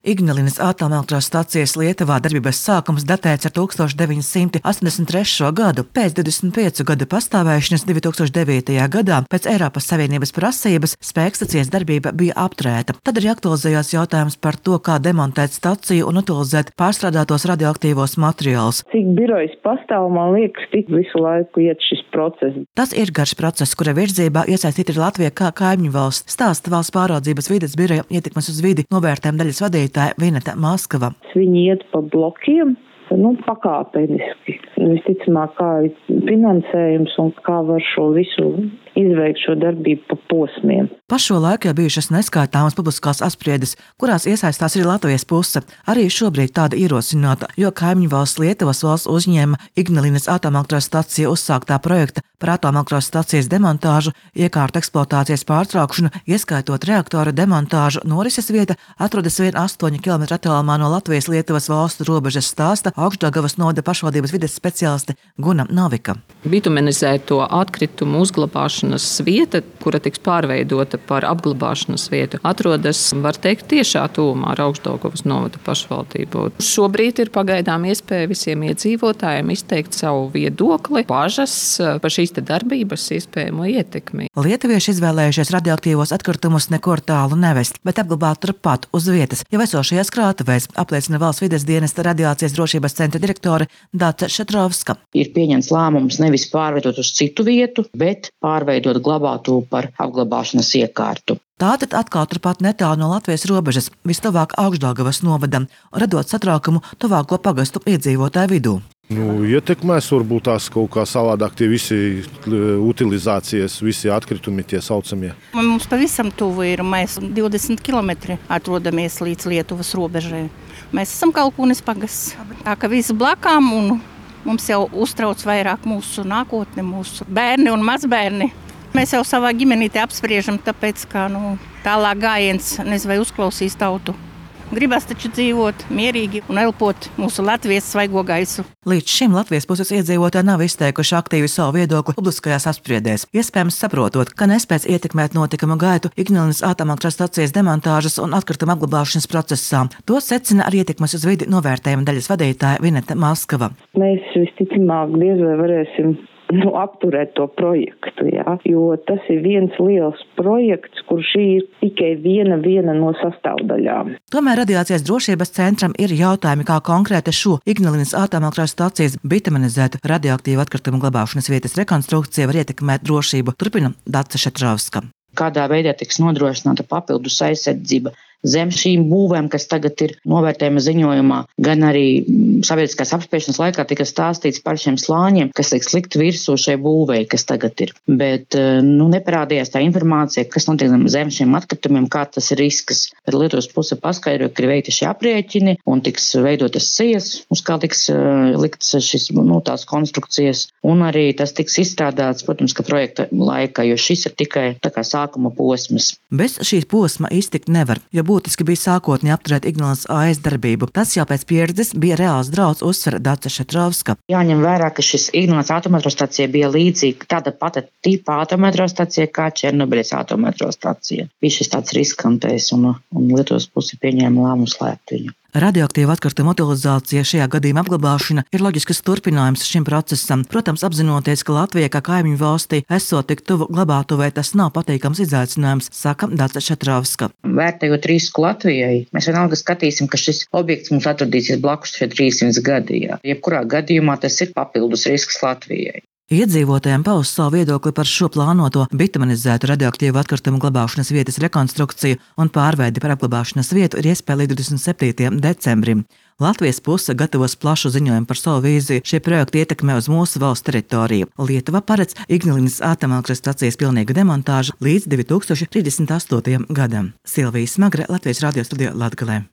Ignalinas atomelektrostacijas Lietuvā darbības sākums datēts ar 1983. gadu. Pēc 25 gadu pastāvēšanas 2009. gadā pēc Eiropas Savienības prasības spēkstacijas darbība bija apturēta. Tad arī aktualizējās jautājums par to, kā demontēt staciju un utilizēt pārstrādātos radioaktīvos materiālus. Cik birojas pastāv, man liekas, tik visu laiku iet šis process. Tas ir garš process, kura virzībā iesaistīta ir Latvija kā kaimiņu valsts, stāsta Valsts pāraudzības vides biroja ietekmes uz vidi novērtējuma daļas vadītāja Vineta Maskava. Viņi iet pa blokiem, pakāpeniski. Visticamāk, kā ir finansējums un kā var šo visu izveikt šo darbību pa posmiem. Pa šo laiku jau bijušas neskaitāmas publiskās apspriedes, kurās iesaistās arī Latvijas puse. Arī šobrīd tāda ierosināta, jo kaimiņu valsts Lietuvas valsts uzņēma Ignalinas atomelektrostaciju uzsāktā projekta par atomelektrostacijas demontāžu, iekārtu eksploatācijas pārtraukšanu, ieskaitot reaktora demontāžu. Norises vieta atrodas vien 8 km attālumā no Latvijas-Lietuvas valstu robežas, stāsta Augšdaugavas novada pašvaldības vides speciāliste Guna Novika. Bitumenizēto atkritumu uzglabāšanas vieta, kura tiks pārveidota par apglabāšanas vietu, atrodas, var teikt, tiešā tuvumā ar Augšdaugavas novada pašvaldību. Šobrīd ir pagaidām iespēja visiem iedzīvotājiem izteikt savu viedokli, bažas par šīs darbības iespējamo ietekmi. Lietuvieši izvēlējušies radioaktīvos atkritumus nekur tālu nevest, bet apglabāt turpat uz vietas, jau esošajās krātuvēs, apliecina Valsts vides dienesta radiācijas drošības centra direktore Dace Šetrovska. Ir pieņemts lēmums nevis pārveidot uz citu vietu, bet pārveidot glabātuvu par apglabāšanas iekārtu. Tātad atkal turpat netālu no Latvijas robežas, vistuvāk Augšdaugavas novadam, radot satraukumu tuvāko pagastu iedzīvotāju vidū. Ietekmēs varbūt tās kaut kā savādāk tie visi utilizācijas, visi atkritumi tie saucamie. Mums pavisam tuvu ir, mēs 20 km atrodamies līdz Lietuvas robežai. Mēs esam Kalkūnes pagasts, tā ka visi blakām un mums jau uztrauc vairāk mūsu nākotne, mūsu bērni un mazbērni. Mēs jau savā ģimenītē apspriežam, tāpēc, ka tālāk gājiens nezinu, vai uzklausīs tautu. Gribas taču dzīvot mierīgi un elpot mūsu Latvijas svaigo gaisu. Līdz šim Latvijas puses iedzīvotāji nav izteikuši aktīvi savu viedokli publiskajās apspriedēs, iespējams saprotot, ka nespēj ietekmēt notikumu gaitu Ignalinas atomelektrostacijas demontāžas un atkrituma apglabāšanas procesā. To secina arī ietekmes uz vidi novērtējuma daļas vadītāja Vineta Maskava. Mēs visticamāk diez vai varēsim apturēt to projektu, jo tas ir viens liels projekts, kur šī ir tikai viena no sastāvdaļām. Tomēr radiācijas drošības centram ir jautājumi, kā konkrēti šo Ignalinas atomelektrostacijas bitumenizētu radioaktīvu atkritumu glabāšanas vietas rekonstrukcija var ietekmēt drošību, turpina Dace Šetrovska. Kādā veidā tiks nodrošināta papildus aizsardzība zem šīm būvēm, kas tagad ir novērtējuma ziņojumā, gan arī sabiedriskās apspriešanas laikā tika stāstīts par šiem slāņiem, kas tiks likt virsū šai būvei, kas tagad ir. Bet neparādījās tā informācija, kas notiek zem šiem atkritumiem, kā tas ir risks. Tad Lietuvas puse paskaidroja, ka ir veikti šie aprēķini un tiks veidotas sijas, uz kā tiks likts šis, tās konstrukcijas, un arī tas tiks izstrādāts, protams, ka projekta laikā, jo šis ir tikai tā kā sākuma posms. Bez šīs posma iztikt nevar, jo būtiski bija sākotnēji apturēt Ignalinas AS darbību. Tas jau pēc pieredzes bija reāls drauds, uzsver Dace Šetrovska. Jāņem vērā, ka šis Ignalinas atomelektrostacija bija līdzīga tāda pati tipa atomelektrostacija kā Černobiļas atomelektrostacija. Bija šis tāds riskantais un Lietuvas pusi pieņēma lēmumu slēpt viņu. Radioaktīva atkrituma utilizācija, šajā gadījumā apglabāšana, ir loģisks turpinājums šim procesam. Protams, apzinoties, ka Latvija kā kaimiņu valstī esot tik tuvu glabātuvei, tas nav patīkams izaicinājums, saka Dace Šetrovska. Vērtējot risku Latvijai, mēs vienalga skatīsim, ka šis objekts mums atradīsies blakus šeit 300 gadi. Jebkurā gadījumā tas ir papildus risks Latvijai. Iedzīvotājiem paust savu viedokli par šo plānoto bitumenizētu radioaktīvu atkritumu glabāšanas vietas rekonstrukciju un pārveidi par apglabāšanas vietu ir iespēja līdz 27. decembrim. Latvijas puse gatavos plašu ziņojumu par savu vīziju šie projekti ietekmē uz mūsu valsts teritoriju. Lietuva paredz Ignalinas atomelektrostacijas pilnīgu demontāžu līdz 2038. gadam. Silvija Smagre, Latvijas radio studijā Latgalē.